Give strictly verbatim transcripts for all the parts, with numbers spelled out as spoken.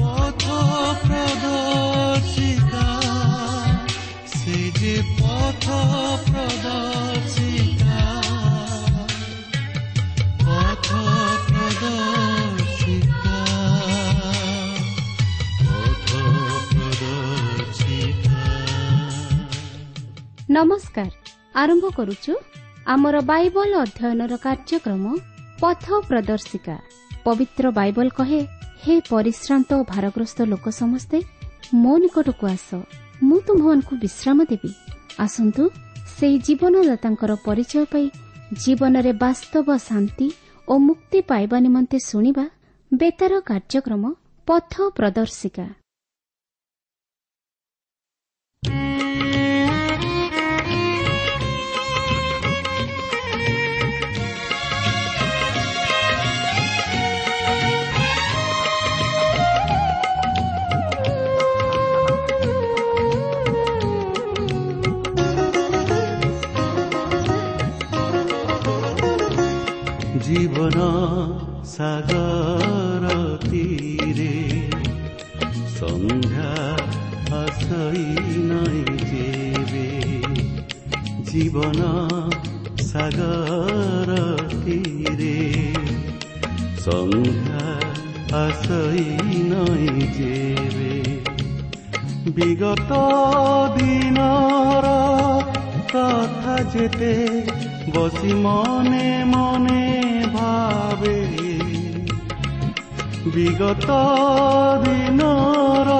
ପଥ ପ୍ରଦର୍ଶିକା, ସେ ଯେ ପଥ ପ୍ରଦର୍ଶିକା, ପଥ ପ୍ରଦର୍ଶିକା, ପଥ ପ୍ରଦର୍ଶିକା। ନମସ୍କାର, ଆରମ୍ଭ କରୁଛୁ ଆମର ବାଇବଲ ଅଧ୍ୟୟନର କାର୍ଯ୍ୟକ୍ରମ ପଥ ପ୍ରଦର୍ଶିକା। ପବିତ୍ର ବାଇବଲ କହେ, ହେ ପରିଶ୍ରାନ୍ତ ଓ ଭାରଗ୍ରସ୍ତ ଲୋକ ସମସ୍ତେ ମୋ ନିକଟକୁ ଆସ, ମୁଁ ତୁମ୍ଭମାନଙ୍କୁ ବିଶ୍ରାମ ଦେବି। ଆସନ୍ତୁ ସେହି ଜୀବନଦାତାଙ୍କର ପରିଚୟ ପାଇ ଜୀବନରେ ବାସ୍ତବ ଶାନ୍ତି ଓ ମୁକ୍ତି ପାଇବା ନିମନ୍ତେ ଶୁଣିବା ବେତାର କାର୍ଯ୍ୟକ୍ରମ ପଥ ପ୍ରଦର୍ଶିକା। ଜୀବନ ସାଗର ତୀରେ ସନ୍ଧ୍ୟା ଆସଇ ନାଇଁ ଯେବେ, ଜୀବନ ସାଗର ତୀରେ ସନ୍ଧ୍ୟା ଆସଇ ନାଇଁ ଯେବେ, ବିଗତ ଦିନର କଥା ଯେତେ ବସି ମନେ ମନେ ଭାବେ, ବିଗତ ଦିନର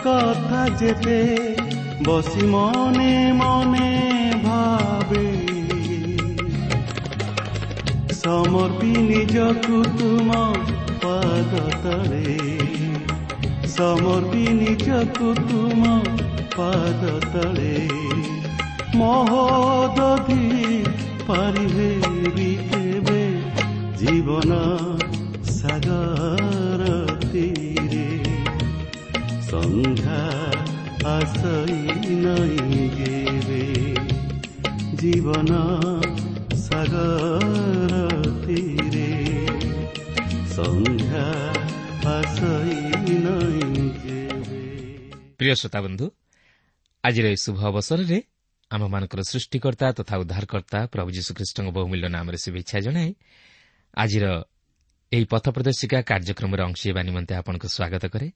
କଥା ଯେତେ ବସି ମନେ ମନେ ଭାବେ, ସମର୍ପି ନିଜକୁ ତୁମ ପାଦ ତଳେ, ସମର୍ପି ନିଜକୁ ତୁମ ପାଦ ତଳେ, ମହୋଦଧି ପାରିହେବି କେବେ, ଜୀବନ ସାଗର ତୀରେ ସନ୍ଧ୍ୟା ଆସଇ ନାଇଁ ଯେବେ, ଜୀବନ ସାଗର ତୀରେ ସନ୍ଧ୍ୟା ଆସଇ ନାଇଁ ଯେବେ। ପ୍ରିୟ ଶ୍ରୋତାବନ୍ଧୁ, ଆଜିର ଏହି ଶୁଭ ଅବସରରେ ଆମମାନଙ୍କର ସୃଷ୍ଟିକର୍ତ୍ତା ତଥା ଉଦ୍ଧାରକର୍ତ୍ତା ପ୍ରଭୁ ଯୀଶୁଖ୍ରୀଷ୍ଟଙ୍କ ବହୁମୂଲ୍ୟ ନାମରେ ଶୁଭେଚ୍ଛା ଜଣାଇ ଆଜିର ଏହି ପଥ ପ୍ରଦର୍ଶିକା କାର୍ଯ୍ୟକ୍ରମରେ ଅଂଶ ହେବା ନିମନ୍ତେ ଆପଣଙ୍କୁ ସ୍ୱାଗତ କରେ।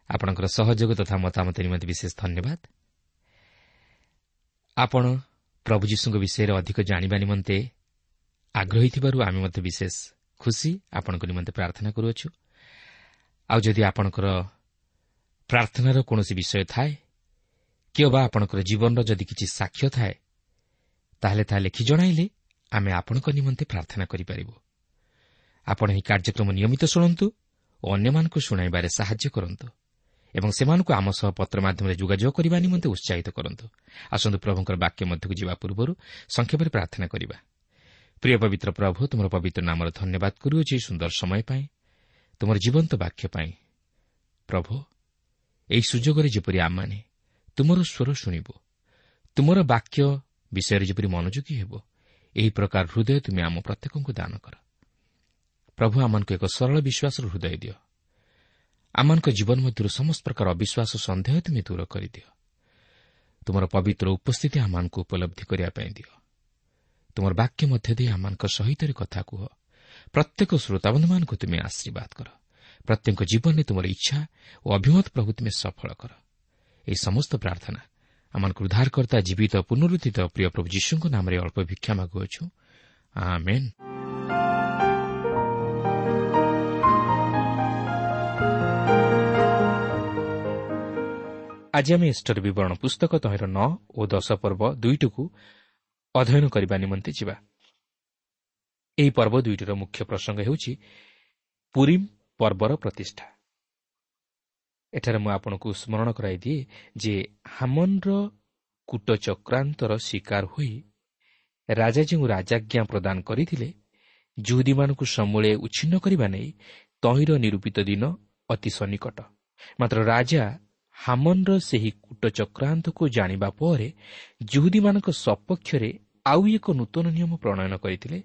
ଆପଣଙ୍କର ସହଯୋଗ ତଥା ମତାମତ ନିମନ୍ତେ ବିଶେଷ ଧନ୍ୟବାଦ। ଆପଣ ପ୍ରଭୁ ଯୀଶୁଙ୍କ ବିଷୟରେ ଅଧିକ ଜାଣିବା ନିମନ୍ତେ ଆଗ୍ରହୀ ଥିବାରୁ ଆମେ ମଧ୍ୟ ବିଶେଷ ଖୁସି। ଆପଣଙ୍କ ନିମନ୍ତେ ପ୍ରାର୍ଥନା କରୁଅଛୁ। ଆଉ ଯଦି ଆପଣଙ୍କର ପ୍ରାର୍ଥନାର କୌଣସି ବିଷୟ ଥାଏ କିମ୍ବା ଆପଣଙ୍କର ଜୀବନର ଯଦି କିଛି ସାକ୍ଷ୍ୟ ଥାଏ, ତାହେଲେ ତାହା ଲେଖି ଜଣାଇଲେ ଆମେ ଆପଣଙ୍କ ନିମନ୍ତେ ପ୍ରାର୍ଥନା କରିପାରିବୁ। ଆପଣ ଏହି କାର୍ଯ୍ୟକ୍ରମ ନିୟମିତ ଶୁଣନ୍ତୁ ଓ ଅନ୍ୟମାନଙ୍କୁ ଶୁଣାଇବାରେ ସାହାଯ୍ୟ କରନ୍ତୁ ଏବଂ ସେମାନଙ୍କୁ ଆମ ସହ ପତ୍ର ମାଧ୍ୟମରେ ଯୋଗାଯୋଗ କରିବା ନିମନ୍ତେ ଉତ୍ସାହିତ କରନ୍ତୁ। ଆସନ୍ତୁ ପ୍ରଭୁଙ୍କର ବାକ୍ୟ ମଧ୍ୟକୁ ଯିବା ପୂର୍ବରୁ ସଂକ୍ଷେପରେ ପ୍ରାର୍ଥନା କରିବା। ପ୍ରିୟ ପବିତ୍ର ପ୍ରଭୁ, ତୁମର ପବିତ୍ର ନାମର ଧନ୍ୟବାଦ କରୁଅଛି ସୁନ୍ଦର ସମୟ ପାଇଁ, ତୁମର ଜୀବନ୍ତ ବାକ୍ୟ ପାଇଁ। ପ୍ରଭୁ, ଏହି ସୁଯୋଗରେ ଯେପରି ଆମମାନେ ତୁମର ସ୍ୱର ଶୁଣିବୁ, ତୁମର ବାକ୍ୟ ବିଷୟରେ ଯେପରି ମନୋଯୋଗୀ ହେବ, ଏହି ପ୍ରକାର ହୃଦୟ ତୁମେ ଆମ ପ୍ରତ୍ୟେକଙ୍କୁ ଦାନ କର। ପ୍ରଭୁ, ଆମମାନଙ୍କୁ ଏକ ସରଳ ବିଶ୍ୱାସର ହୃଦୟ ଦିଅ। ଆମମାନଙ୍କ ଜୀବନ ମଧ୍ୟରୁ ସମସ୍ତ ପ୍ରକାର ଅବିଶ୍ୱାସ ସନ୍ଦେହ ତୁମେ ଦୂର କରିଦିଅ। ତୁମର ପବିତ୍ର ଉପସ୍ଥିତି ଆମମାନଙ୍କୁ ଉପଲବ୍ଧି କରିବା ପାଇଁ ଦିଅ। ତୁମର ବାକ୍ୟ ମଧ୍ୟ ଦେଇ ଆମମାନଙ୍କ ସହିତ କଥା କୁହ। ପ୍ରତ୍ୟେକ ଶ୍ରୋତାବନ୍ଧୁମାନଙ୍କୁ ତୁମେ ଆଶୀର୍ବାଦ କର। ପ୍ରତ୍ୟେକ ଜୀବନରେ ତୁମର ଇଚ୍ଛା ଓ ଅଭିମତ ପ୍ରଭୁ ତୁମେ ସଫଳ କର। ଏହି ସମସ୍ତ ପ୍ରାର୍ଥନା ଆମମାନଙ୍କୁ ଉଦ୍ଧାରକର୍ତ୍ତା ଜୀବିତ ପୁନରୁତ୍ଥିତ ପ୍ରିୟ ପ୍ରଭୁ ଯୀଶୁଙ୍କ ନାମରେ ଅଳ୍ପ ଭିକ୍ଷା ମାଗୁଅଛୁ, ଆମେନ୍। ଆଜି ଆମେ ଏଷ୍ଟର ବିବରଣ ପୁସ୍ତକ ତହିଁର ନଅ ଓ ଦଶ ପର୍ବ ଦୁଇଟିକୁ ଅଧ୍ୟୟନ କରିବା ନିମନ୍ତେ ଯିବା। ଏହି ପର୍ବ ଦୁଇଟିର ମୁଖ୍ୟ ପ୍ରସଙ୍ଗ ହେଉଛି ପୁରିମ୍ ପର୍ବର ପ୍ରତିଷ୍ଠା। ଏଠାରେ ମୁଁ ଆପଣଙ୍କୁ ସ୍ମରଣ କରାଇଦିଏ ଯେ ହାମନର କୂଟଚକ୍ରାନ୍ତର ଶିକାର ହୋଇ ରାଜା ଯେଉଁ ରାଜାଜ୍ଞା ପ୍ରଦାନ କରିଥିଲେ, ଜୁହୁଦୀମାନଙ୍କୁ ସମୂଳେ ଉଚ୍ଛିନ୍ନ କରିବା ନେଇ ତହିଁର ନିରୂପିତ ଦିନ ଅତି ସନ୍ନିକଟ। ମାତ୍ର ରାଜା ହାମନର ସେହି କୂଟଚକ୍ରାନ୍ତକୁ ଜାଣିବା ପରେ ଜୁହୁଦୀମାନଙ୍କ ସପକ୍ଷରେ ଆଉ ଏକ ନୂତନ ନିୟମ ପ୍ରଣୟନ କରିଥିଲେ,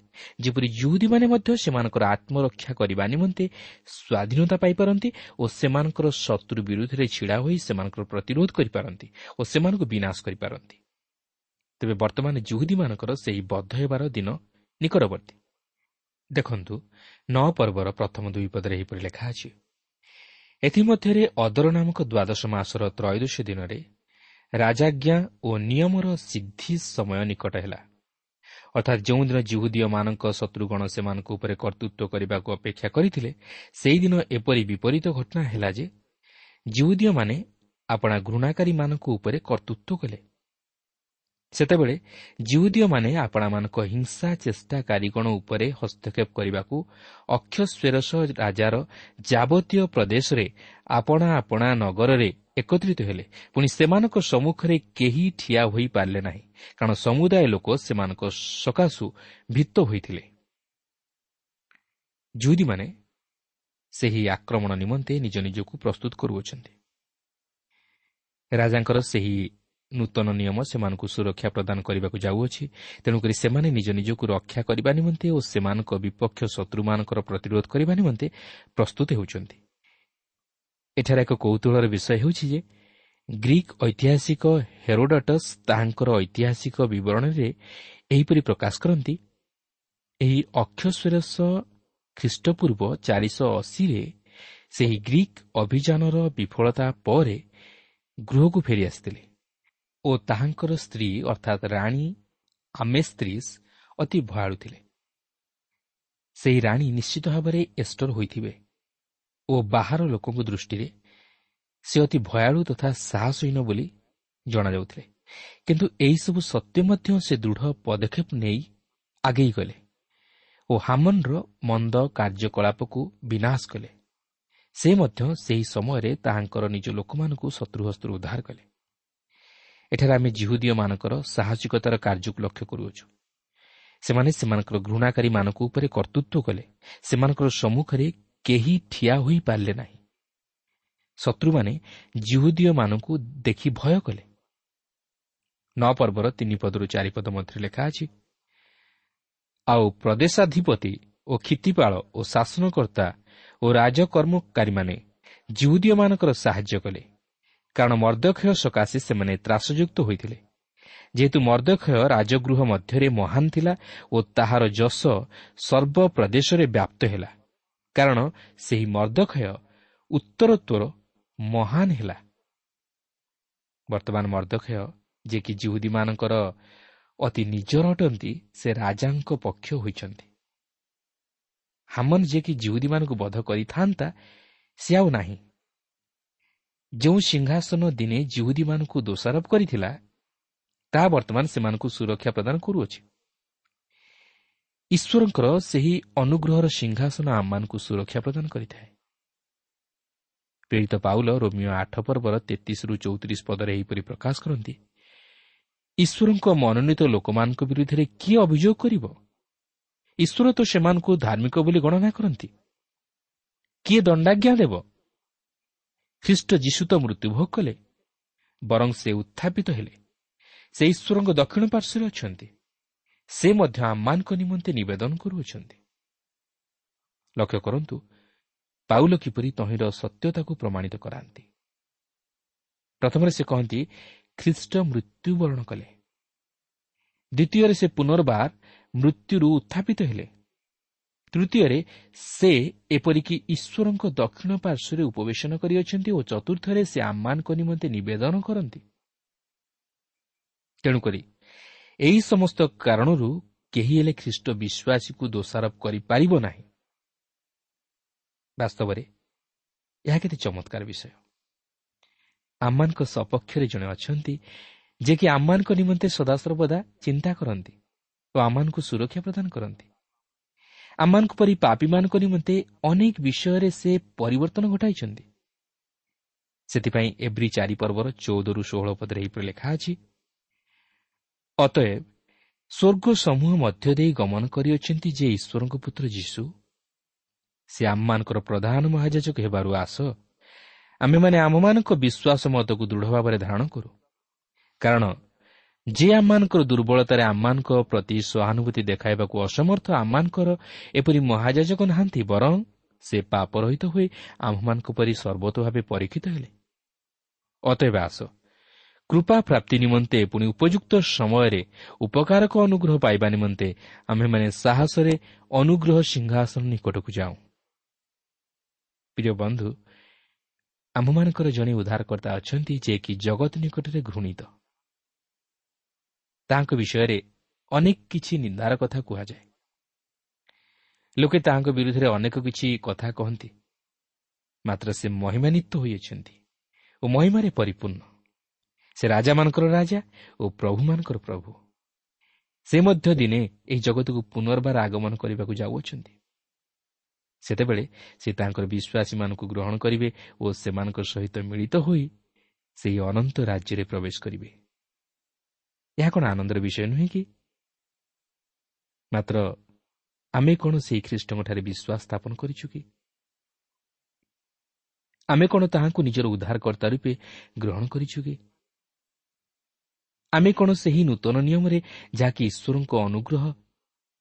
ଯେପରି ଜିହୁଦୀମାନେ ମଧ୍ୟ ସେମାନଙ୍କର ଆତ୍ମରକ୍ଷା କରିବା ନିମନ୍ତେ ସ୍ୱାଧୀନତା ପାଇପାରନ୍ତି ଓ ସେମାନଙ୍କର ଶତ୍ରୁ ବିରୁଦ୍ଧରେ ଛିଡ଼ା ହୋଇ ସେମାନଙ୍କର ପ୍ରତିରୋଧ କରିପାରନ୍ତି ଓ ସେମାନଙ୍କୁ ବିନାଶ କରିପାରନ୍ତି। ତେବେ ବର୍ତ୍ତମାନ ଜିହୁଦୀମାନଙ୍କର ସେହି ବଦ୍ଧ ହେବାର ଦିନ ନିକଟବର୍ତ୍ତୀ। ଦେଖନ୍ତୁ, ନଅ ପର୍ବର ପ୍ରଥମ ଦୁଇ ପଦରେ ଏହିପରି ଲେଖା ଅଛି, ଏଥିମଧ୍ୟରେ ଅଦର ନାମକ ଦ୍ୱାଦଶ ମାସର ତ୍ରୟୋଦଶ ଦିନରେ ରାଜାଜ୍ଞା ଓ ନିୟମର ସିଦ୍ଧି ସମୟ ନିକଟ ହେଲା। ଅର୍ଥାତ୍ ଯେଉଁଦିନ ଜିହୁଦୀୟମାନଙ୍କ ଶତ୍ରୁଗଣ ସେମାନଙ୍କ ଉପରେ କର୍ତ୍ତୃତ୍ୱ କରିବାକୁ ଅପେକ୍ଷା କରିଥିଲେ, ସେହିଦିନ ଏପରି ବିପରୀତ ଘଟଣା ହେଲା ଯେ ଜିହୁଦୀୟମାନେ ଆପଣା ଘୃଣାକାରୀମାନଙ୍କ ଉପରେ କର୍ତ୍ତୃତ୍ୱ କଲେ। ସେତେବେଳେ ଜିହୁଦୀୟମାନେ ଆପଣାମାନଙ୍କ ହିଂସା ଚେଷ୍ଟାକାରୀଗଣ ଉପରେ ହସ୍ତକ୍ଷେପ କରିବାକୁ ଅକ୍ଷସ୍ୱେରସ ରାଜାର ଯାବତୀୟ ପ୍ରଦେଶରେ ଆପଣା ଆପଣା ନଗରରେ ଏକତ୍ରିତ ହେଲେ। ପୁଣି ସେମାନଙ୍କ ସମ୍ମୁଖରେ କେହି ଠିଆ ହୋଇପାରିଲେ ନାହିଁ, କାରଣ ସମୁଦାୟ ଲୋକ ସେମାନଙ୍କ ସକାଶୁ ଭୀତ ହୋଇଥିଲେ। ଜିହୁଦୀମାନେ ସେହି ଆକ୍ରମଣ ନିମନ୍ତେ ନିଜ ନିଜକୁ ପ୍ରସ୍ତୁତ କରୁଅଛନ୍ତି। ରାଜାଙ୍କର ସେହି ନୂତନ ନିୟମ ସେମାନଙ୍କୁ ସୁରକ୍ଷା ପ୍ରଦାନ କରିବାକୁ ଯାଉଅଛି। ତେଣୁକରି ସେମାନେ ନିଜ ନିଜକୁ ରକ୍ଷା କରିବା ନିମନ୍ତେ ଓ ସେମାନଙ୍କ ବିପକ୍ଷ ଶତ୍ରୁମାନଙ୍କର ପ୍ରତିରୋଧ କରିବା ନିମନ୍ତେ ପ୍ରସ୍ତୁତ ହେଉଛନ୍ତି। ଏଠାରେ ଏକ କୌତୂହଳର ବିଷୟ ହେଉଛି ଯେ ଗ୍ରୀକ୍ ଐତିହାସିକ ହେରୋଡଟସ୍ ତାହାଙ୍କର ଐତିହାସିକ ବିବରଣୀରେ ଏହିପରି ପ୍ରକାଶ କରନ୍ତି, ଏହି ଅକ୍ଷସ୍ୱେରସ ଖ୍ରୀଷ୍ଟପୂର୍ବ ଚାରିଶହ ଅଶୀରେ ସେହି ଗ୍ରୀକ୍ ଅଭିଯାନର ବିଫଳତା ପରେ ଗୃହକୁ ଫେରିଆସିଥିଲେ ଓ ତାହାଙ୍କର ସ୍ତ୍ରୀ ଅର୍ଥାତ୍ ରାଣୀ ଆମେସ୍ତ୍ରୀସ୍ ଅତି ଭୟାଳୁ ଥିଲେ। ସେହି ରାଣୀ ନିଶ୍ଚିତ ଭାବରେ ଏଷ୍ଟର ହୋଇଥିବେ ଓ ବାହାର ଲୋକଙ୍କ ଦୃଷ୍ଟିରେ ସେ ଅତି ଭୟାଳୁ ତଥା ସାହସହୀନ ବୋଲି ଜଣାଯାଉଥିଲେ। କିନ୍ତୁ ଏହିସବୁ ସତ୍ତ୍ୱେ ମଧ୍ୟ ସେ ଦୃଢ଼ ପଦକ୍ଷେପ ନେଇ ଆଗେଇ ଗଲେ ଓ ହାମନର ମନ୍ଦ କାର୍ଯ୍ୟକଳାପକୁ ବିନାଶ କଲେ। ସେ ମଧ୍ୟ ସେହି ସମୟରେ ତାହାଙ୍କର ନିଜ ଲୋକମାନଙ୍କୁ ଶତ୍ରୁହସ୍ତରୁ ଉଦ୍ଧାର କଲେ। ଏଠାରେ ଆମେ ଜିହୁଦୀୟମାନଙ୍କର ସାହସିକତାର କାର୍ଯ୍ୟକୁ ଲକ୍ଷ୍ୟ କରୁଅଛୁ। ସେମାନେ ସେମାନଙ୍କର ଘୃଣାକାରୀମାନଙ୍କ ଉପରେ କର୍ତ୍ତୃତ୍ୱ କଲେ। ସେମାନଙ୍କର ସମ୍ମୁଖରେ କେହି ଠିଆ ହୋଇପାରିଲେ ନାହିଁ। ଶତ୍ରୁମାନେ ଜିହୁଦୀୟମାନଙ୍କୁ ଦେଖି ଭୟ କଲେ। ନଅ ପର୍ବର ତିନି ପଦରୁ ଚାରି ପଦ ମଧ୍ୟରେ ଲେଖା ଅଛି, ଆଉ ପ୍ରଦେଶାଧିପତି ଓ କ୍ଷିତିପାଳ ଓ ଶାସନକର୍ତ୍ତା ଓ ରାଜକର୍ମକାରୀମାନେ ଜିହୁଦୀୟମାନଙ୍କର ସାହାଯ୍ୟ କଲେ, କାରଣ ମର୍ଦ୍ଦଖୟ ସକାଶେ ସେମାନେ ତ୍ରାସଯୁକ୍ତ ହୋଇଥିଲେ। ଯେହେତୁ ମର୍ଦ୍ଦଖୟ ରାଜଗୃହ ମଧ୍ୟରେ ମହାନ ଥିଲା ଓ ତାହାର ଯଶ ସର୍ବପ୍ରଦେଶରେ ବ୍ୟାପ୍ତ ହେଲା, କାରଣ ସେହି ମର୍ଦ୍ଦଖୟ ଉତ୍ତରୋତ୍ତର ମହାନ ହେଲା। ବର୍ତ୍ତମାନ ମର୍ଦ୍ଦଖୟ ଯିଏକି ଜିହୁଦୀମାନଙ୍କର ଅତି ନିଜର ଅଟନ୍ତି, ସେ ରାଜାଙ୍କ ପକ୍ଷ ହୋଇଛନ୍ତି। ହାମନ ଯିଏକି ଜିହୁଦୀମାନଙ୍କୁ ବଧ କରିଥାନ୍ତା, ସେ ଆଉ ନାହିଁ। ଯେଉଁ ସିଂହାସନ ଦିନେ ଜିହୁଦୀମାନଙ୍କୁ ଦୋଷାରୋପ କରିଥିଲା, ତାହା ବର୍ତ୍ତମାନ ସେମାନଙ୍କୁ ସୁରକ୍ଷା ପ୍ରଦାନ କରୁଅଛି। ଈଶ୍ୱରଙ୍କର ସେହି ଅନୁଗ୍ରହର ସିଂହାସନ ଆମମାନଙ୍କୁ ସୁରକ୍ଷା ପ୍ରଦାନ କରିଥାଏ। ପ୍ରେରିତ ପାଉଲ ରୋମିଓ ଆଠ ପର୍ବର ତେତିଶରୁ ଚଉତିରିଶ ପଦରେ ଏହିପରି ପ୍ରକାଶ କରନ୍ତି, ଈଶ୍ୱରଙ୍କ ମନୋନୀତ ଲୋକମାନଙ୍କ ବିରୁଦ୍ଧରେ କିଏ ଅଭିଯୋଗ କରିବ? ଈଶ୍ୱର ତ ସେମାନଙ୍କୁ ଧାର୍ମିକ ବୋଲି ଗଣନା କରନ୍ତି। କିଏ ଦଣ୍ଡାଜ୍ଞା ଦେବ? ଖ୍ରୀଷ୍ଟ ଯୀଶୁ ତ ମୃତ୍ୟୁଭୋଗ କଲେ, ବରଂ ସେ ଉତ୍ଥାପିତ ହେଲେ। ସେ ଈଶ୍ୱରଙ୍କ ଦକ୍ଷିଣ ପାର୍ଶ୍ୱରେ ଅଛନ୍ତି। ସେ ମଧ୍ୟ ଆମମାନଙ୍କ ନିମନ୍ତେ ନିବେଦନ କରୁଅଛନ୍ତି। ଲକ୍ଷ୍ୟ କରନ୍ତୁ, ପାଉଲ କିପରି ତହିଁର ସତ୍ୟତାକୁ ପ୍ରମାଣିତ କରାନ୍ତି। ପ୍ରଥମରେ ସେ କହନ୍ତି, ଖ୍ରୀଷ୍ଟ ମୃତ୍ୟୁବରଣ କଲେ। ଦ୍ୱିତୀୟରେ ସେ ପୁନର୍ବାର ମୃତ୍ୟୁରୁ ଉତ୍ଥାପିତ ହେଲେ। ତୃତୀୟରେ ସେ ଏପରିକି ଈଶ୍ୱରଙ୍କ ଦକ୍ଷିଣ ପାର୍ଶ୍ୱରେ ଉପବେଶନ କରିଅଛନ୍ତି ଓ ଚତୁର୍ଥରେ ସେ ଆମମାନଙ୍କ ନିମନ୍ତେ ନିବେଦନ କରନ୍ତି। ତେଣୁକରି ଏହି ସମସ୍ତ କାରଣରୁ କେହି ହେଲେ ଖ୍ରୀଷ୍ଟ ବିଶ୍ୱାସୀକୁ ଦୋଷାରୋପ କରିପାରିବ ନାହିଁ। ବାସ୍ତବରେ ଏହା କେତେ ଚମତ୍କାର ବିଷୟ। ଆମମାନଙ୍କ ସପକ୍ଷରେ ଜଣେ ଅଛନ୍ତି ଯିଏକି ଆମମାନଙ୍କ ନିମନ୍ତେ ସଦାସର୍ବଦା ଚିନ୍ତା କରନ୍ତି ଓ ଆମମାନଙ୍କୁ ସୁରକ୍ଷା ପ୍ରଦାନ କରନ୍ତି। ଆମମାନଙ୍କ ପରି ପାପୀମାନଙ୍କ ନିମନ୍ତେ ଅନେକ ବିଷୟରେ ସେ ପରିବର୍ତ୍ତନ ଘଟାଇଛନ୍ତି। ସେଥିପାଇଁ ଏବ୍ରୀ ଚାରି ପର୍ବର ଚଉଦରୁ ଷୋହଳ ପଦରେ ଏହିପରି ଲେଖା ଅଛି, ଅତଏବ ସ୍ୱର୍ଗ ସମୂହ ମଧ୍ୟ ଦେଇ ଗମନ କରିଅଛନ୍ତି ଯେ ଈଶ୍ୱରଙ୍କ ପୁତ୍ର ଯୀଶୁ, ସେ ଆମମାନଙ୍କର ପ୍ରଧାନ ମହାଯାଜକ ହେବାରୁ ଆସ ଆମେମାନେ ଆମମାନଙ୍କ ବିଶ୍ୱାସ ମତକୁ ଦୃଢ଼ ଭାବରେ ଧାରଣ କରୁ। କାରଣ ଯେ ଆମମାନଙ୍କର ଦୁର୍ବଳତାରେ ଆମମାନଙ୍କ ପ୍ରତି ସହାନୁଭୂତି ଦେଖାଇବାକୁ ଅସମର୍ଥ, ଆମମାନଙ୍କର ଏପରି ମହାଯାଜକ ନାହାନ୍ତି, ବରଂ ସେ ପାପରହିତ ହୋଇ ଆମ୍ଭମାନଙ୍କ ପରି ସର୍ବତ ଭାବେ ପରୀକ୍ଷିତ ହେଲେ। ଅତଏବ ଆସ, କୃପା ପ୍ରାପ୍ତି ନିମନ୍ତେ ପୁଣି ଉପଯୁକ୍ତ ସମୟରେ ଉପକାରକ ଅନୁଗ୍ରହ ପାଇବା ନିମନ୍ତେ ଆମ୍ଭେମାନେ ସାହସରେ ଅନୁଗ୍ରହ ସିଂହାସନ ନିକଟକୁ ଯାଉଁ। ପ୍ରିୟ ବନ୍ଧୁ, ଆମ୍ଭମାନଙ୍କର ଜଣେ ଉଦ୍ଧାରକର୍ତ୍ତା ଅଛନ୍ତି, ଯିଏକି ଜଗତ ନିକଟରେ ଘୃଣିତ। ତାହାଙ୍କ ବିଷୟରେ ଅନେକ କିଛି ନିନ୍ଦାର କଥା କୁହାଯାଏ। ଲୋକେ ତାହାଙ୍କ ବିରୁଦ୍ଧରେ ଅନେକ କିଛି କଥା କହନ୍ତି, ମାତ୍ର ସେ ମହିମାନ୍ୱିତ ହୋଇଅଛନ୍ତି ଓ ମହିମାରେ ପରିପୂର୍ଣ୍ଣ। ସେ ରାଜାମାନଙ୍କର ରାଜା ଓ ପ୍ରଭୁମାନଙ୍କର ପ୍ରଭୁ। ସେ ମଧ୍ୟ ଦିନେ ଏହି ଜଗତକୁ ପୁନର୍ବାର ଆଗମନ କରିବାକୁ ଯାଉଅଛନ୍ତି। ସେତେବେଳେ ସେ ତାଙ୍କର ବିଶ୍ୱାସୀମାନଙ୍କୁ ଗ୍ରହଣ କରିବେ ଓ ସେମାନଙ୍କ ସହିତ ମିଳିତ ହୋଇ ସେହି ଅନନ୍ତ ରାଜ୍ୟରେ ପ୍ରବେଶ କରିବେ। ଏହା କ'ଣ ଆନନ୍ଦର ବିଷୟ ନୁହେଁ କି? ମାତ୍ର ଆମେ କ'ଣ ସେହି ଖ୍ରୀଷ୍ଟଙ୍କଠାରେ ବିଶ୍ୱାସ ସ୍ଥାପନ କରିଛୁ କି? ଆମେ କ'ଣ ତାହାଙ୍କୁ ନିଜର ଉଦ୍ଧାରକର୍ତ୍ତା ରୂପେ ଗ୍ରହଣ କରିଛୁ କି? ଆମେ କ'ଣ ସେହି ନୂତନ ନିୟମରେ, ଯାହାକି ଈଶ୍ୱରଙ୍କ ଅନୁଗ୍ରହ,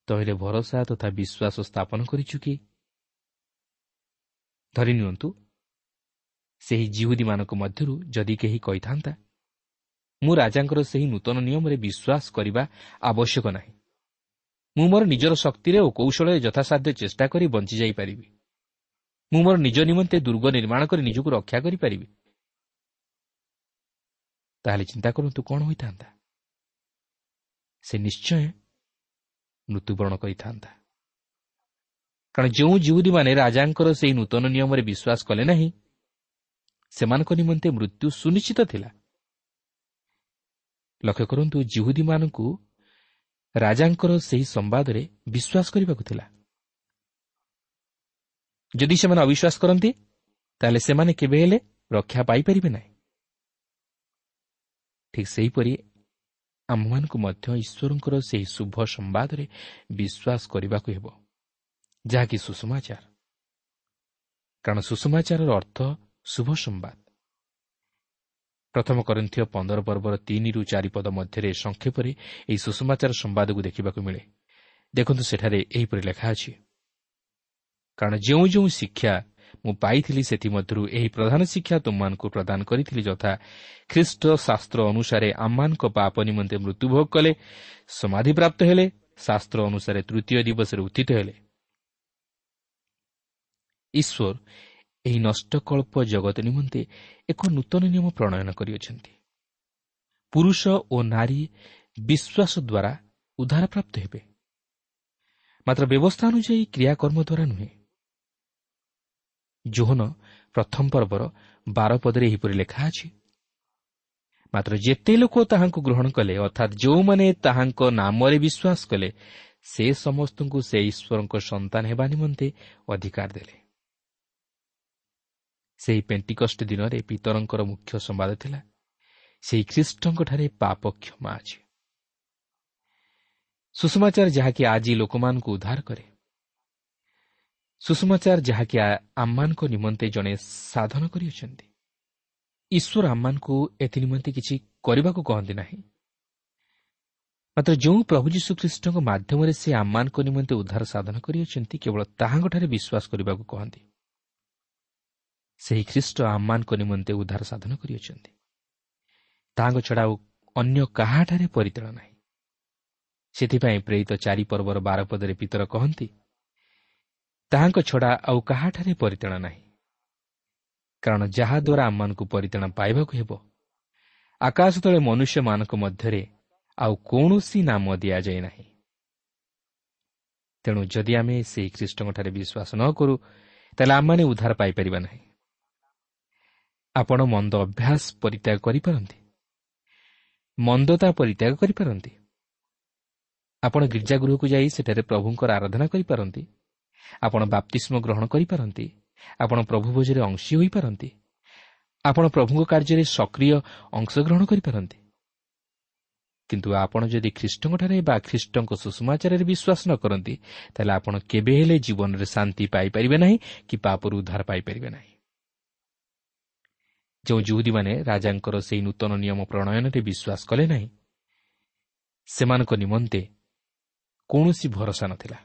ତହିଁରେ ଭରସା ତଥା ବିଶ୍ୱାସ ସ୍ଥାପନ କରିଛୁ କି? ଧରି ନିଅନ୍ତୁ, ସେହି ଜିହୁଦୀମାନଙ୍କ ମଧ୍ୟରୁ ଯଦି କେହି କହିଥାନ୍ତା, ମୁଁ ରାଜାଙ୍କର ସେହି ନୂତନ ନିୟମରେ ବିଶ୍ୱାସ କରିବା ଆବଶ୍ୟକ ନାହିଁ, ମୁଁ ମୋର ନିଜର ଶକ୍ତିରେ ଓ କୌଶଳରେ ଯଥାସାଧ୍ୟ ଚେଷ୍ଟା କରି ବଞ୍ଚି ଯାଇପାରିବି, ମୁଁ ମୋର ନିଜ ନିମନ୍ତେ ଦୁର୍ଗ ନିର୍ମାଣ କରି ନିଜକୁ ରକ୍ଷା କରିପାରିବି, ତାହେଲେ ଚିନ୍ତା କରନ୍ତୁ କ'ଣ ହୋଇଥାନ୍ତା? ସେ ନିଶ୍ଚୟ ମୃତ୍ୟୁବରଣ କରିଥାନ୍ତା। କାରଣ ଯେଉଁ ଜିହୁଦୀମାନେ ରାଜାଙ୍କର ସେହି ନୂତନ ନିୟମରେ ବିଶ୍ୱାସ କଲେ ନାହିଁ, ସେମାନଙ୍କ ନିମନ୍ତେ ମୃତ୍ୟୁ ସୁନିଶ୍ଚିତ ଥିଲା। ଲକ୍ଷ୍ୟ କରନ୍ତୁ, ଜିହୁଦୀମାନଙ୍କୁ ରାଜାଙ୍କର ସେହି ସମ୍ବାଦରେ ବିଶ୍ୱାସ କରିବାକୁ ଥିଲା। ଯଦି ସେମାନେ ଅବିଶ୍ୱାସ କରନ୍ତି, ତାହେଲେ ସେମାନେ କେବେ ହେଲେ ରକ୍ଷା ପାଇପାରିବେ ନାହିଁ। ଠିକ୍ ସେହିପରି ଆମ୍ଭମାନଙ୍କୁ ମଧ୍ୟ ଈଶ୍ୱରଙ୍କର ସେହି ଶୁଭ ସମ୍ବାଦରେ ବିଶ୍ୱାସ କରିବାକୁ ହେବ, ଯାହାକି ସୁସମାଚାର। କାରଣ ସୁସମାଚାରର ଅର୍ଥ ଶୁଭ ସମ୍ବାଦ। ପ୍ରଥମ କରିନ୍ଥୀୟ ପନ୍ଦର ପର୍ବର ତିନିରୁ ଚାରି ପଦ ମଧ୍ୟରେ ସଂକ୍ଷେପରେ ଏହି ସୁସମାଚାର ସମ୍ବାଦକୁ ଦେଖିବାକୁ ମିଳେ। ଦେଖନ୍ତୁ, ସେଠାରେ ଏହିପରି ଲେଖା ଅଛି, କାରଣ ଯେଉଁ ଯେଉଁ ଶିକ୍ଷା ମୁଁ ପାଇଥିଲି ସେଥିମଧ୍ୟରୁ ଏହି ପ୍ରଧାନ ଶିକ୍ଷା ତୁମମାନଙ୍କୁ ପ୍ରଦାନ କରିଥିଲି, ଯଥା ଖ୍ରୀଷ୍ଟ ଶାସ୍ତ୍ର ଅନୁସାରେ ଆମମାନଙ୍କ ପାପ ନିମନ୍ତେ ମୃତ୍ୟୁଭୋଗ କଲେ, ସମାଧିପ୍ରାପ୍ତ ହେଲେ, ଶାସ୍ତ୍ର ଅନୁସାରେ ତୃତୀୟ ଦିବସରେ ଉତ୍ଥିତ ହେଲେ। ଈଶ୍ୱର ଏହି ନଷ୍ଟକଳ୍ପ ଜଗତ ନିମନ୍ତେ ଏକ ନୂତନ ନିୟମ ପ୍ରଣୟନ କରିଅଛନ୍ତି। ପୁରୁଷ ଓ ନାରୀ ବିଶ୍ୱାସ ଦ୍ୱାରା ଉଦ୍ଧାରପ୍ରାପ୍ତ ହେବେ, ମାତ୍ର ବ୍ୟବସ୍ଥା ଅନୁଯାୟୀ କ୍ରିୟାକର୍ମ ଦ୍ୱାରା ନୁହେଁ। ଯୋହନ ପ୍ରଥମ ପର୍ବର ବାର ପଦରେ ଏହିପରି ଲେଖା ଅଛି, ମାତ୍ର ଯେତେ ଲୋକ ତାହାଙ୍କୁ ଗ୍ରହଣ କଲେ, ଅର୍ଥାତ୍ ଯେଉଁମାନେ ତାହାଙ୍କ ନାମରେ ବିଶ୍ୱାସ କଲେ, ସେ ସମସ୍ତଙ୍କୁ ସେ ଈଶ୍ୱରଙ୍କ ସନ୍ତାନ ହେବା ନିମନ୍ତେ ଅଧିକାର ଦେଲେ। ସେହି ପେଣ୍ଟିକଷ୍ଟ ଦିନରେ ପିତରଙ୍କର ମୁଖ୍ୟ ସମ୍ବାଦ ଥିଲା, ସେହି ଖ୍ରୀଷ୍ଟଙ୍କଠାରେ ପାପ କ୍ଷମା ଅଛି। ସୁସମାଚାର ଯାହାକି ଆଜି ଲୋକମାନଙ୍କୁ ଉଦ୍ଧାର କରେ, ସୁସମାଚାର ଯାହାକି ଆମମାନଙ୍କ ନିମନ୍ତେ ଜଣେ ସାଧନ କରିଅଛନ୍ତି। ଈଶ୍ୱର ଆମମାନଙ୍କୁ ଏଥି ନିମନ୍ତେ କିଛି କରିବାକୁ କହନ୍ତି ନାହିଁ, ମାତ୍ର ଯେଉଁ ପ୍ରଭୁ ଯୀଶୁଖ୍ରୀଷ୍ଟଙ୍କ ମାଧ୍ୟମରେ ସେ ଆମମାନଙ୍କ ନିମନ୍ତେ ଉଦ୍ଧାର ସାଧନ କରିଅଛନ୍ତି, କେବଳ ତାହାଙ୍କଠାରେ ବିଶ୍ୱାସ କରିବାକୁ କହନ୍ତି। ସେହି ଖ୍ରୀଷ୍ଟ ଆମମାନଙ୍କ ନିମନ୍ତେ ଉଦ୍ଧାର ସାଧନ କରିଅଛନ୍ତି, ତାହାଙ୍କ ଛଡ଼ା ଆଉ ଅନ୍ୟ କାହାଠାରେ ପରିତ୍ରାଣ ନାହିଁ। ସେଥିପାଇଁ ପ୍ରେରିତ ଚାରି ପର୍ବର ବାର ପଦରେ ପିତର କହନ୍ତି, ତାହାଙ୍କ ଛଡ଼ା ଆଉ କାହାଠାରେ ପରିତ୍ରାଣ ନାହିଁ, କାରଣ ଯାହାଦ୍ୱାରା ଆମମାନଙ୍କୁ ପରିତ୍ରାଣ ପାଇବାକୁ ହେବ, ଆକାଶ ତଳେ ମନୁଷ୍ୟମାନଙ୍କ ମଧ୍ୟରେ ଆଉ କୌଣସି ନାମ ଦିଆଯାଏ ନାହିଁ। ତେଣୁ ଯଦି ଆମେ ସେହି ଖ୍ରୀଷ୍ଟଙ୍କଠାରେ ବିଶ୍ୱାସ ନ କରୁ, ତାହେଲେ ଆମମାନେ ଉଦ୍ଧାର ପାଇପାରିବା ନାହିଁ। ଆପଣ ମନ୍ଦ ଅଭ୍ୟାସ ପରିତ୍ୟାଗ କରିପାରନ୍ତି, ମନ୍ଦତା ପରିତ୍ୟାଗ କରିପାରନ୍ତି, ଆପଣ ଗିର୍ଜାଗୃହକୁ ଯାଇ ସେଠାରେ ପ୍ରଭୁଙ୍କର ଆରାଧନା କରିପାରନ୍ତି, ଆପଣ ବାପ୍ତିସ୍ମ ଗ୍ରହଣ କରିପାରନ୍ତି, ଆପଣ ପ୍ରଭୁ ଭୋଜରେ ଅଂଶୀ ହୋଇପାରନ୍ତି, ଆପଣ ପ୍ରଭୁଙ୍କ କାର୍ଯ୍ୟରେ ସକ୍ରିୟ ଅଂଶଗ୍ରହଣ କରିପାରନ୍ତି। କିନ୍ତୁ ଆପଣ ଯଦି ଖ୍ରୀଷ୍ଟଙ୍କଠାରେ ବା ଖ୍ରୀଷ୍ଟଙ୍କ ସୁସମାଚାରରେ ବିଶ୍ୱାସ ନ କରନ୍ତି, ତାହେଲେ ଆପଣ କେବେ ହେଲେ ଜୀବନରେ ଶାନ୍ତି ପାଇପାରିବେ ନାହିଁ କି ପାପରୁ ଉଦ୍ଧାର ପାଇପାରିବେ ନାହିଁ। ଯେଉଁ ଜିହୁଦୀମାନେ ରାଜାଙ୍କର ସେହି ନୂତନ ନିୟମ ପ୍ରଣୟନରେ ବିଶ୍ୱାସ କଲେ ନାହିଁ, ସେମାନଙ୍କ ନିମନ୍ତେ କୌଣସି ଭରସା ନଥିଲା।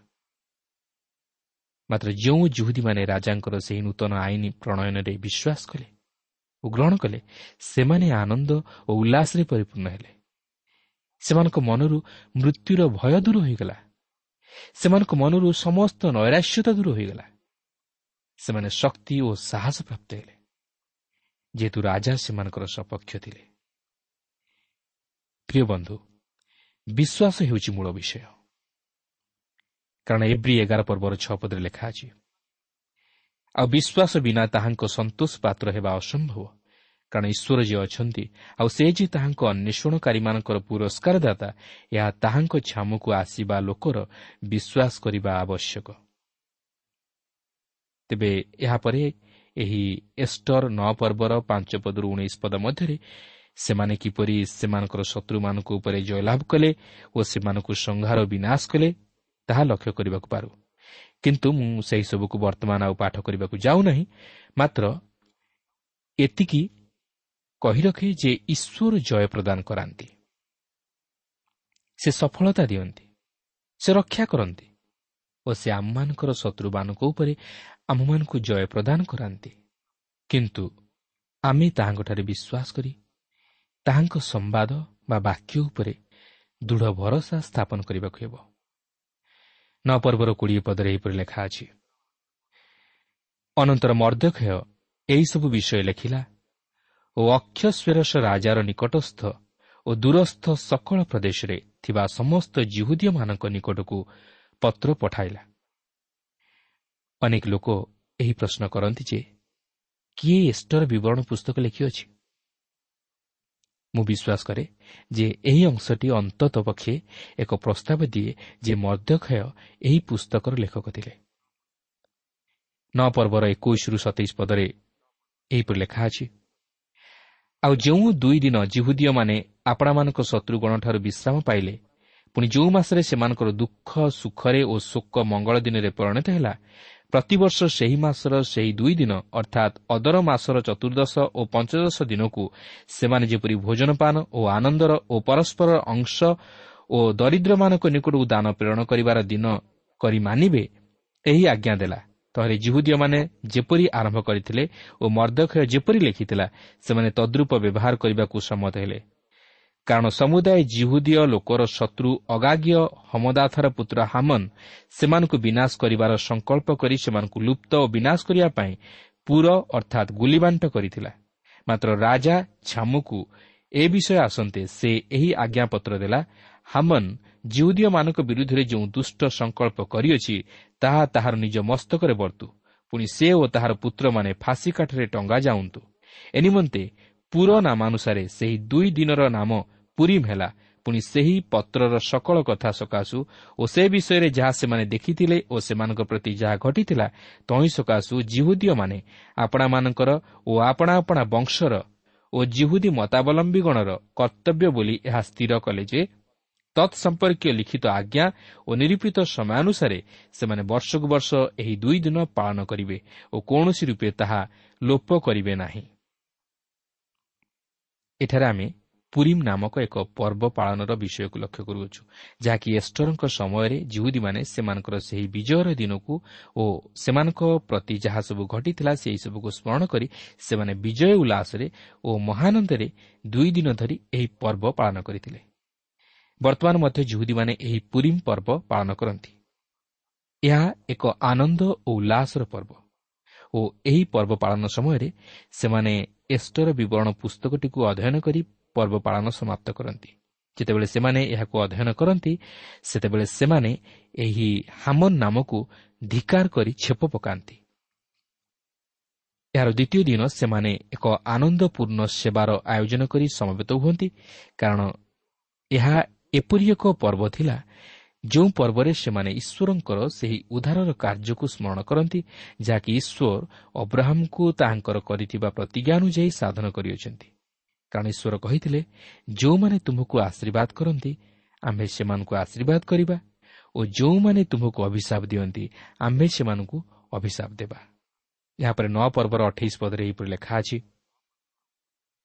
ମାତ୍ର ଯେଉଁ ଜୁହୁଦୀମାନେ ରାଜାଙ୍କର ସେହି ନୂତନ ଆଇନ ପ୍ରଣୟନରେ ବିଶ୍ୱାସ କଲେ ଓ ଗ୍ରହଣ କଲେ, ସେମାନେ ଆନନ୍ଦ ଓ ଉଲ୍ଲାସରେ ପରିପୂର୍ଣ୍ଣ ହେଲେ। ସେମାନଙ୍କ ମନରୁ ମୃତ୍ୟୁର ଭୟ ଦୂର ହୋଇଗଲା। ସେମାନଙ୍କ ମନରୁ ସମସ୍ତ ନୈରାଶ୍ୟତା ଦୂର ହୋଇଗଲା। ସେମାନେ ଶକ୍ତି ଓ ସାହସ ପ୍ରାପ୍ତ ହେଲେ, ଯେହେତୁ ରାଜା ସେମାନଙ୍କର ସପକ୍ଷ ଥିଲେ। ପ୍ରିୟ ବନ୍ଧୁ, ବିଶ୍ୱାସ ହେଉଛି ମୂଳ ବିଷୟ। କାରଣ ଏବ୍ରୀ ଏଗାର ପର୍ବର ଛଅ ପଦରେ ଲେଖା ଅଛି, ଆଉ ବିଶ୍ୱାସ ବିନା ତାହାଙ୍କ ସନ୍ତୋଷ ପାତ୍ର ହେବା ଅସମ୍ଭବ। କାରଣ ଈଶ୍ୱର ଯିଏ ଅଛନ୍ତି ଆଉ ସେ ଯେ ତାହାଙ୍କ ଅନ୍ୱେଷଣକାରୀମାନଙ୍କର ପୁରସ୍କାରଦାତା, ଏହା ତାହାଙ୍କ ଛାମୁକୁ ଆସିବା ଲୋକର ବିଶ୍ୱାସ କରିବା ଆବଶ୍ୟକ। ତେବେ ଏହାପରେ ଏହି ଏଷ୍ଟର ନଅ ପର୍ବର ପାଞ୍ଚ ପଦରୁ ଉଣେଇଶ ପଦ ମଧ୍ୟରେ ସେମାନେ କିପରି ସେମାନଙ୍କର ଶତ୍ରୁମାନଙ୍କ ଉପରେ ଜୟଲାଭ କଲେ ଓ ସେମାନଙ୍କୁ ସଂହାର ବିନାଶ କଲେ ତାହା ଲକ୍ଷ୍ୟ କରିବାକୁ ପାରୁ। କିନ୍ତୁ ମୁଁ ସେହିସବୁକୁ ବର୍ତ୍ତମାନ ଆଉ ପାଠ କରିବାକୁ ଯାଉନାହିଁ। ମାତ୍ର ଏତିକି କହି ରଖେ ଯେ ଈଶ୍ୱର ଜୟ ପ୍ରଦାନ କରାନ୍ତି, ସେ ସଫଳତା ଦିଅନ୍ତି, ସେ ରକ୍ଷା କରନ୍ତି ଓ ସେ ଆମମାନଙ୍କର ଶତ୍ରୁମାନଙ୍କ ଉପରେ ଆମମାନଙ୍କୁ ଜୟ ପ୍ରଦାନ କରାନ୍ତି। କିନ୍ତୁ ଆମେ ତାହାଙ୍କଠାରେ ବିଶ୍ୱାସ କରି ତାହାଙ୍କ ସମ୍ବାଦ ବା ବାକ୍ୟ ଉପରେ ଦୃଢ଼ ଭରସା ସ୍ଥାପନ କରିବାକୁ ହେବ। ନଅ ପର୍ବର କୋଡ଼ିଏ ପଦରେ ଏହିପରି ଲେଖା ଅଛି, ଅନନ୍ତର ମର୍ଦ୍ଦଖୟ ଏହିସବୁ ବିଷୟ ଲେଖିଲା ଓ ଅକ୍ଷସ୍ୱେରସ ରାଜାର ନିକଟସ୍ଥ ଓ ଦୂରସ୍ଥ ସକଳ ପ୍ରଦେଶରେ ଥିବା ସମସ୍ତ ଯିହୁଦୀୟମାନଙ୍କ ନିକଟକୁ ପତ୍ର ପଠାଇଲା। ଅନେକ ଲୋକ ଏହି ପ୍ରଶ୍ନ କରନ୍ତି ଯେ କିଏ ଏଷ୍ଟର ବିବରଣ ପୁସ୍ତକ ଲେଖିଅଛି? ମୁଁ ବିଶ୍ୱାସ କରେ ଯେ ଏହି ଅଂଶଟି ଅନ୍ତତଃ ପକ୍ଷେ ଏକ ପ୍ରସ୍ତାବ ଦିଏ ଯେ ମର୍ଦ୍ଦଖୟ ଏହି ପୁସ୍ତକର ଲେଖକ ଥିଲେ। ନଅ ପର୍ବର ଏକୋଇଶରୁ ସତେଇଶ ପଦରେ ଏହିପରି ଲେଖା ଅଛି, ଆଉ ଯେଉଁ ଦୁଇ ଦିନ ଯିହୁଦୀୟମାନେ ଆପଣାମାନଙ୍କ ଶତ୍ରୁଗଣଠାରୁ ବିଶ୍ରାମ ପାଇଲେ, ପୁଣି ଯେଉଁ ମାସରେ ସେମାନଙ୍କର ଦୁଃଖ ସୁଖରେ ଓ ଶୋକ ମଙ୍ଗଳ ଦିନରେ ପରିଣତ ହେଲା, ପ୍ରତିବର୍ଷ ସେହି ମାସର ସେହି ଦୁଇ ଦିନ ଅର୍ଥାତ୍ ଅଦର ମାସର ଚତୁର୍ଦ୍ଦଶ ଓ ପଞ୍ଚଦଶ ଦିନକୁ ସେମାନେ ଯେପରି ଭୋଜନପାନ ଓ ଆନନ୍ଦର ଓ ପରସ୍ପରର ଅଂଶ ଓ ଦରିଦ୍ରମାନଙ୍କ ନିକଟକୁ ଦାନ ପ୍ରେରଣ କରିବାର ଦିନ କରି ମାନିବେ, ଏହି ଆଜ୍ଞା ଦେଲା। ତହିଁରେ ଯିହୁଦୀୟମାନେ ଯେପରି ଆରମ୍ଭ କରିଥିଲେ ଓ ମର୍ଦ୍ଦଖୟ ଯେପରି ଲେଖିଥିଲା, ସେମାନେ ତଦ୍ରୂପ ବ୍ୟବହାର କରିବାକୁ ସମ୍ମତ ହେଲେ। କାରଣ ସମୁଦାୟ ଯିହୁଦୀୟ ଲୋକର ଶତ୍ରୁ ଅଗାଗୀୟ ହମଦାଥାର ପୁତ୍ର ହାମନ ସେମାନଙ୍କୁ ବିନାଶ କରିବାର ସଂକଳ୍ପ କରି ସେମାନଙ୍କୁ ଲୁପ୍ତ ଓ ବିନାଶ କରିବା ପାଇଁ ପୁର ଅର୍ଥାତ୍ ଗୁଲିବାଣ୍ଟ କରିଥିଲା। ମାତ୍ର ରାଜା ଛାମୁକୁ ଏ ବିଷୟ ଆସନ୍ତେ ସେ ଏହି ଆଜ୍ଞାପତ୍ର ଦେଲା, ହାମନ ଯିହୁଦୀୟମାନଙ୍କ ବିରୁଦ୍ଧରେ ଯେଉଁ ଦୁଷ୍ଟ ସଂକଳ୍ପ କରିଅଛି ତାହା ତାହାର ନିଜ ମସ୍ତକରେ ବର୍ତ୍ତୁ, ପୁଣି ସେ ଓ ତାହାର ପୁତ୍ରମାନେ ଫାଶୀ କାଠରେ ଟଙ୍ଗା ଯାଉନ୍ତୁ। ଏ ନିମନ୍ତେ ପୁର ନାମାନୁସାରେ ସେହି ଦୁଇ ଦିନର ନାମ ପୁରିମ୍ ହେଲା। ପୁଣି ସେହି ପତ୍ରର ସକଳ କଥା ସକାଶୁ ଓ ସେ ବିଷୟରେ ଯାହା ସେମାନେ ଦେଖିଥିଲେ ଓ ସେମାନଙ୍କ ପ୍ରତି ଯାହା ଘଟିଥିଲା ତହିଁ ସକାଶୁ ଯିହୁଦୀୟମାନେ ଆପଣାମାନଙ୍କର ଓ ଆପଣା ଆପଣା ବଂଶର ଓ ଯିହୁଦୀ ମତାବଲମ୍ବୀଗଣର କର୍ତ୍ତବ୍ୟ ବୋଲି ଏହା ସ୍ଥିର କଲେ ଯେ ତତ୍ ସମ୍ପର୍କୀୟ ଲିଖିତ ଆଜ୍ଞା ଓ ନିରୂପିତ ସମୟାନୁସାରେ ସେମାନେ ବର୍ଷକୁ ବର୍ଷ ଏହି ଦୁଇ ଦିନ ପାଳନ କରିବେ ଓ କୌଣସି ରୂପେ ତାହା ଲୋପ କରିବେ ନାହିଁ। ଏଠାରେ ଆମେ ପୁରିମ୍ ନାମକ ଏକ ପର୍ବ ପାଳନର ବିଷୟକୁ ଲକ୍ଷ୍ୟ କରୁଅଛୁ, ଯାହାକି ଏଷ୍ଟରଙ୍କ ସମୟରେ ଯିହୁଦୀମାନେ ସେମାନଙ୍କର ସେହି ବିଜୟର ଦିନକୁ ଓ ସେମାନଙ୍କ ପ୍ରତି ଯାହା ସବୁ ଘଟିଥିଲା ସେହିସବୁକୁ ସ୍ମରଣ କରି ସେମାନେ ବିଜୟ ଉଲ୍ଲାସରେ ଓ ମହାନନ୍ଦରେ ଦୁଇ ଦିନ ଧରି ଏହି ପର୍ବ ପାଳନ କରିଥିଲେ। ବର୍ତ୍ତମାନ ମଧ୍ୟ ଯିହୁଦୀମାନେ ଏହି ପୁରିମ୍ ପର୍ବ ପାଳନ କରନ୍ତି। ଏହା ଏକ ଆନନ୍ଦ ଓ ଉଲ୍ଲାସର ପର୍ବ ଓ ଏହି ପର୍ବ ପାଳନ ସମୟରେ ସେମାନେ ଏଷ୍ଟର ବିବରଣ ପୁସ୍ତକଟିକୁ ଅଧ୍ୟୟନ କରି ପର୍ବ ପାଳନ ସମାପ୍ତ କରନ୍ତି। ଯେତେବେଳେ ସେମାନେ ଏହାକୁ ଅଧ୍ୟୟନ କରନ୍ତି, ସେତେବେଳେ ସେମାନେ ଏହି ହାମନ ନାମକୁ ଧିକାର କରି ଛେପ ପକାନ୍ତି। ଏହାର ଦ୍ୱିତୀୟ ଦିନ ସେମାନେ ଏକ ଆନନ୍ଦପୂର୍ଣ୍ଣ ସେବାର ଆୟୋଜନ କରି ସମବେତ ହୁଅନ୍ତି, କାରଣ ଏହା ଏପରି ଏକ ପର୍ବ ଥିଲା ଯେଉଁ ପର୍ବରେ ସେମାନେ ଈଶ୍ୱରଙ୍କର ସେହି ଉଦ୍ଧାରର କାର୍ଯ୍ୟକୁ ସ୍ମରଣ କରନ୍ତି, ଯାହାକି ଈଶ୍ୱର ଅବ୍ରାହମଙ୍କୁ ତାହାଙ୍କର କରିଥିବା ପ୍ରତିଜ୍ଞା ଅନୁଯାୟୀ ସାଧନ କରିଅଛନ୍ତି। କାରଣ ଈଶ୍ୱର କହିଥିଲେ, ଯେଉଁମାନେ ତୁମକୁ ଆଶୀର୍ବାଦ କରନ୍ତି ଆମ୍ଭେ ସେମାନଙ୍କୁ ଆଶୀର୍ବାଦ କରିବା ଓ ଯେଉଁମାନେ ତୁମକୁ ଅଭିଶାପ ଦିଅନ୍ତି ଆମ୍ଭେ ସେମାନଙ୍କୁ ଅଭିଶାପ ଦେବା। ଏହାପରେ ନଅ ପର୍ବର ଅଠେଇଶ ପଦରେ ଏହିପରି ଲେଖା ଅଛି,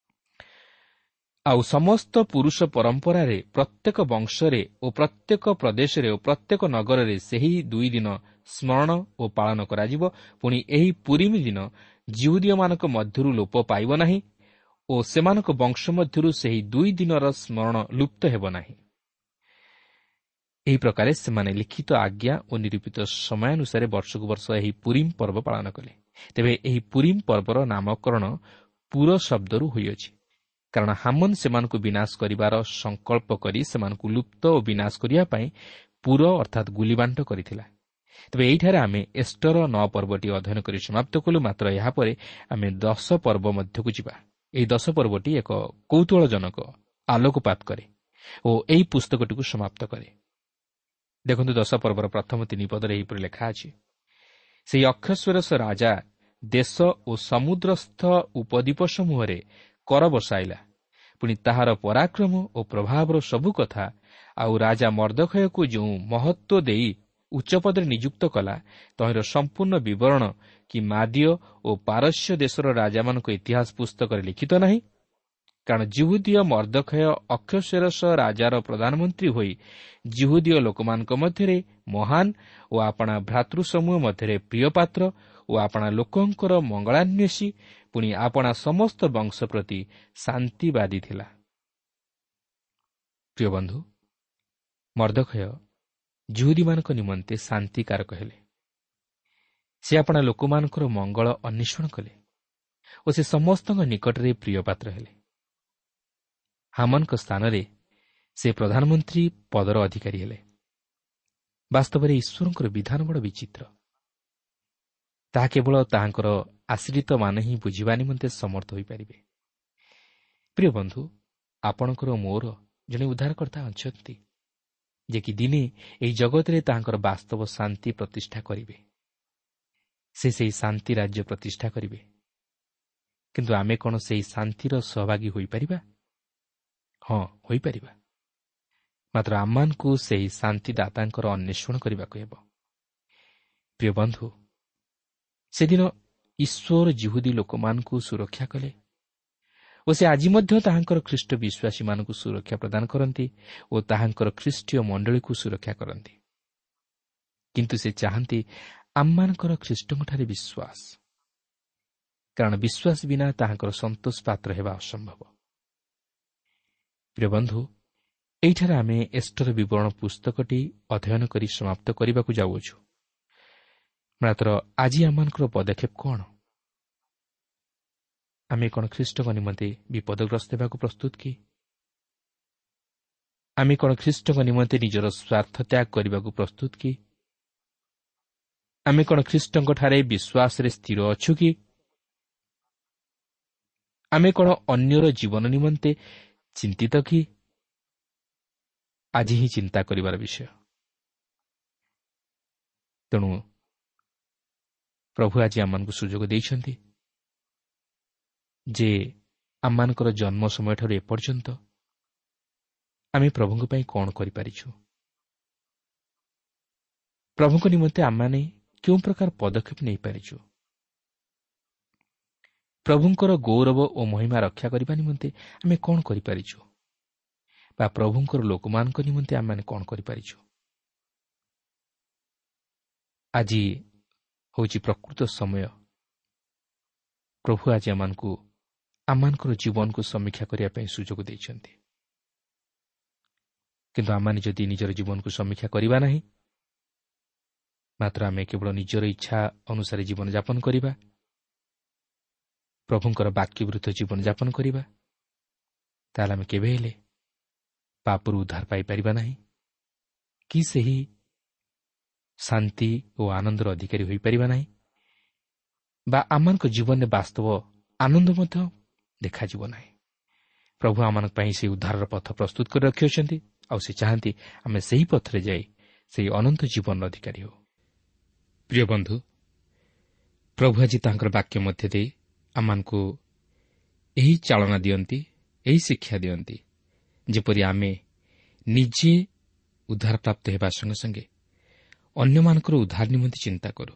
ଆଉ ସମସ୍ତ ପୁରୁଷ ପରମ୍ପରାରେ ପ୍ରତ୍ୟେକ ବଂଶରେ ଓ ପ୍ରତ୍ୟେକ ପ୍ରଦେଶରେ ଓ ପ୍ରତ୍ୟେକ ନଗରରେ ସେହି ଦୁଇ ଦିନ ସ୍ମରଣ ଓ ପାଳନ କରାଯିବ। ପୁଣି ଏହି ପୁରିମ ଦିନ ଯିହୁଦୀୟମାନଙ୍କ ମଧ୍ୟରୁ ଲୋପ ପାଇବ ନାହିଁ ଓ ସେମାନଙ୍କ ବଂଶ ମଧ୍ୟରୁ ସେହି ଦୁଇ ଦିନର ସ୍ମରଣ ଲୁପ୍ତ ହେବ ନାହିଁ। ଏହି ପ୍ରକାରେ ସେମାନେ ଲିଖିତ ଆଜ୍ଞା ଓ ନିରୂପିତ ସମୟାନୁସାରେ ବର୍ଷକୁ ବର୍ଷ ଏହି ପୁରିମ ପର୍ବ ପାଳନ କଲେ। ତେବେ ଏହି ପୁରିମ ପର୍ବର ନାମକରଣ ପୁର ଶବ୍ଦରୁ ହୋଇଅଛି, କାରଣ ହାମନ ସେମାନଙ୍କୁ ବିନାଶ କରିବାର ସଂକଳ୍ପ କରି ସେମାନଙ୍କୁ ଲୁପ୍ତ ଓ ବିନାଶ କରିବା ପାଇଁ ପୁର ଅର୍ଥାତ୍ ଗୁଲିବାଣ୍ଟ କରିଥିଲା। ତେବେ ଏହିଠାରେ ଆମେ ଏଷ୍ଟର ନଅ ପର୍ବଟି ଅଧ୍ୟୟନ କରି ସମାପ୍ତ କଲୁ। ମାତ୍ର ଏହାପରେ ଆମେ ଦଶ ପର୍ବ ମଧ୍ୟକୁ ଯିବା। ଏହି ଦଶ ପର୍ବଟି ଏକ କୌତୂହଳଜନକ ଆଲୋକପାତ କରେ ଓ ଏହି ପୁସ୍ତକଟିକୁ ସମାପ୍ତ କରେ। ଦେଖନ୍ତୁ, ଦଶ ପର୍ବର ପ୍ରଥମ ତିନି ପଦରେ ଏହିପରି ଲେଖା ଅଛି, ସେହି ଅକ୍ଷଶ୍ୱେରସ ରାଜା ଦେଶ ଓ ସମୁଦ୍ରସ୍ଥ ଉପଦ୍ୱୀପ ସମୂହରେ କର ବସାଇଲା। ପୁଣି ତାହାର ପରାକ୍ରମ ଓ ପ୍ରଭାବର ସବୁ କଥା ଆଉ ରାଜା ମର୍ଦ୍ଦଖୟକୁ ଯେଉଁ ମହତ୍ତ୍ୱ ଦେଇ ଉଚ୍ଚପଦରେ ନିଯୁକ୍ତ କଲା, ତହିଁର ସମ୍ପୂର୍ଣ୍ଣ ବିବରଣ କି ମାଦୀୟ ଓ ପାରସ୍ୟ ଦେଶର ରାଜାମାନଙ୍କ ଇତିହାସ ପୁସ୍ତକରେ ଲିଖିତ ନାହିଁ? କାରଣ ଯିହୁଦୀୟ ମର୍ଦ୍ଦଖୟ ଅକ୍ଷଶ୍ୱେରସ ରାଜାର ପ୍ରଧାନମନ୍ତ୍ରୀ ହୋଇ ଯିହୁଦୀୟ ଲୋକମାନଙ୍କ ମଧ୍ୟରେ ମହାନ ଓ ଆପଣା ଭ୍ରାତୃସମୂହ ମଧ୍ୟରେ ପ୍ରିୟପାତ୍ର ଓ ଆପଣା ଲୋକଙ୍କର ମଙ୍ଗଳାନ୍ୱେଷୀ, ପୁଣି ଆପଣା ସମସ୍ତ ବଂଶ ପ୍ରତି ଶାନ୍ତିବାଦୀ ଥିଲା। ପ୍ରିୟ ବନ୍ଧୁ, ମର୍ଦ୍ଦଖୟ ଯିହୁଦୀମାନଙ୍କ ନିମନ୍ତେ ଶାନ୍ତିକାରକ ହେଲେ। ସେ ଆପଣା ଲୋକମାନଙ୍କର ମଙ୍ଗଳ ଅନ୍ୱେଷଣ କଲେ ଓ ସେ ସମସ୍ତଙ୍କ ନିକଟରେ ପ୍ରିୟପାତ୍ର ହେଲେ। ହାମନଙ୍କ ସ୍ଥାନରେ ସେ ପ୍ରଧାନମନ୍ତ୍ରୀ ପଦର ଅଧିକାରୀ ହେଲେ। ବାସ୍ତବରେ ଈଶ୍ୱରଙ୍କର ବିଧାନ ବଡ଼ ବିଚିତ୍ର। ତାହା କେବଳ ତାହାଙ୍କର ଆଶ୍ରିତମାନେ ହିଁ ବୁଝିବା ନିମନ୍ତେ ସମର୍ଥ ହୋଇପାରିବେ। ପ୍ରିୟ ବନ୍ଧୁ, ଆପଣଙ୍କର ମୋର ଜଣେ ଉଦ୍ଧାରକର୍ତ୍ତା ଅଛନ୍ତି, ଯେ କି ଦିନେ ଏହି ଜଗତରେ ତାହାଙ୍କର ବାସ୍ତବ ଶାନ୍ତି ପ୍ରତିଷ୍ଠା କରିବେ। ସେ ସେହି ଶାନ୍ତି ରାଜ୍ୟ ପ୍ରତିଷ୍ଠା କରିବେ। କିନ୍ତୁ ଆମେ କ'ଣ ସେହି ଶାନ୍ତିର ସହଭାଗୀ ହୋଇପାରିବା? ହଁ, ହୋଇପାରିବା। ମାତ୍ର ଆମମାନଙ୍କୁ ସେହି ଶାନ୍ତିଦାତାଙ୍କର ଅନ୍ୱେଷଣ କରିବାକୁ ହେବ। ପ୍ରିୟ ବନ୍ଧୁ, ସେଦିନ ଈଶ୍ୱର ଯିହୁଦୀ ଲୋକମାନଙ୍କୁ ସୁରକ୍ଷା କଲେ ଓ ସେ ଆଜି ମଧ୍ୟ ତାହାଙ୍କର ଖ୍ରୀଷ୍ଟ ବିଶ୍ୱାସୀମାନଙ୍କୁ ସୁରକ୍ଷା ପ୍ରଦାନ କରନ୍ତି ଓ ତାହାଙ୍କର ଖ୍ରୀଷ୍ଟୀୟ ମଣ୍ଡଳୀକୁ ସୁରକ୍ଷା କରନ୍ତି। କିନ୍ତୁ ସେ ଚାହାନ୍ତି ଆମମାନଙ୍କର ଖ୍ରୀଷ୍ଟଙ୍କଠାରେ ବିଶ୍ୱାସ, କାରଣ ବିଶ୍ୱାସ ବିନା ତାହାଙ୍କର ସନ୍ତୋଷ ପାତ୍ର ହେବା ଅସମ୍ଭବ। ପ୍ରିୟ ବନ୍ଧୁ, ଏହିଠାରେ ଆମେ ଏଷ୍ଟର ବିବରଣ ପୁସ୍ତକଟି ଅଧ୍ୟୟନ କରି ସମାପ୍ତ କରିବାକୁ ଯାଉଅଛୁ। ମାତ୍ର ଆଜି ଆମମାନଙ୍କର ପଦକ୍ଷେପ କ'ଣ? ଆମେ କ'ଣ ଖ୍ରୀଷ୍ଟଙ୍କ ନିମନ୍ତେ ବିପଦଗ୍ରସ୍ତ ହେବାକୁ ପ୍ରସ୍ତୁତ କି? ଆମେ କ'ଣ ଖ୍ରୀଷ୍ଟଙ୍କ ନିମନ୍ତେ ନିଜର ସ୍ୱାର୍ଥ ତ୍ୟାଗ କରିବାକୁ ପ୍ରସ୍ତୁତ କି? ଆମେ କ'ଣ ଖ୍ରୀଷ୍ଟଙ୍କଠାରେ ବିଶ୍ୱାସରେ ସ୍ଥିର ଅଛୁ କି? ଆମେ କ'ଣ ଅନ୍ୟର ଜୀବନ ନିମନ୍ତେ ଚିନ୍ତିତ କି? ଆଜି ହିଁ ଚିନ୍ତା କରିବାର ବିଷୟ। ତେଣୁ ପ୍ରଭୁ ଆଜି ଆମମାନଙ୍କୁ ସୁଯୋଗ ଦେଇଛନ୍ତି ଯେ ଆମମାନଙ୍କର ଜନ୍ମ ସମୟଠାରୁ ଏପର୍ଯ୍ୟନ୍ତ ଆମେ ପ୍ରଭୁଙ୍କ ପାଇଁ କ'ଣ କରିପାରିଛୁ, ପ୍ରଭୁଙ୍କ ନିମନ୍ତେ ଆମମାନେ କେଉଁ ପ୍ରକାର ପଦକ୍ଷେପ ନେଇପାରିଛୁ, ପ୍ରଭୁଙ୍କର ଗୌରବ ଓ ମହିମା ରକ୍ଷା କରିବା ନିମନ୍ତେ ଆମେ କ'ଣ କରିପାରିଛୁ ବା ପ୍ରଭୁଙ୍କର ଲୋକମାନଙ୍କ ନିମନ୍ତେ ଆମେମାନେ କ'ଣ କରିପାରିଛୁ। ଆଜି ହେଉଛି ପ୍ରକୃତ ସମୟ। ପ୍ରଭୁ ଆଜି ଆମମାନଙ୍କୁ ଆମମାନଙ୍କର ଜୀବନକୁ ସମୀକ୍ଷା କରିବା ପାଇଁ ସୁଯୋଗ ଦେଇଛନ୍ତି। କିନ୍ତୁ ଆମମାନେ ଯଦି ନିଜର ଜୀବନକୁ ସମୀକ୍ଷା କରିବା ନାହିଁ, ମାତ୍ର ଆମେ କେବଳ ନିଜର ଇଚ୍ଛା ଅନୁସାରେ ଜୀବନଯାପନ କରିବା, ପ୍ରଭୁଙ୍କର ବାକ୍ୟ ବିରୁଦ୍ଧ ଜୀବନଯାପନ କରିବା, ତାହେଲେ ଆମେ କେବେ ହେଲେ ପାପରୁ ଉଦ୍ଧାର ପାଇପାରିବା ନାହିଁ କି ସେହି ଶାନ୍ତି ଓ ଆନନ୍ଦର ଅଧିକାରୀ ହୋଇପାରିବା ନାହିଁ ବା ଆମମାନଙ୍କ ଜୀବନରେ ବାସ୍ତବ ଆନନ୍ଦ ମଧ୍ୟ ଦେଖାଯିବ ନାହିଁ। ପ୍ରଭୁ ଆମମାନଙ୍କ ପାଇଁ ସେହି ଉଦ୍ଧାରର ପଥ ପ୍ରସ୍ତୁତ କରି ରଖିଅଛନ୍ତି, ଆଉ ସେ ଚାହାନ୍ତି ଆମେ ସେହି ପଥରେ ଯାଇ ସେହି ଅନନ୍ତ ଜୀବନର ଅଧିକାରୀ ହେଉ। ପ୍ରିୟ ବନ୍ଧୁ, ପ୍ରଭୁ ଆଜି ତାଙ୍କର ବାକ୍ୟ ମଧ୍ୟ ଦେଇ ଆମମାନଙ୍କୁ ଏହି ଚାଳନା ଦିଅନ୍ତି, ଏହି ଶିକ୍ଷା ଦିଅନ୍ତି, ଯେପରି ଆମେ ନିଜେ ଉଦ୍ଧାରପ୍ରାପ୍ତ ହେବା ସଙ୍ଗେ ସଙ୍ଗେ ଅନ୍ୟମାନଙ୍କର ଉଦ୍ଧାର ନିମନ୍ତେ ଚିନ୍ତା କରୁ।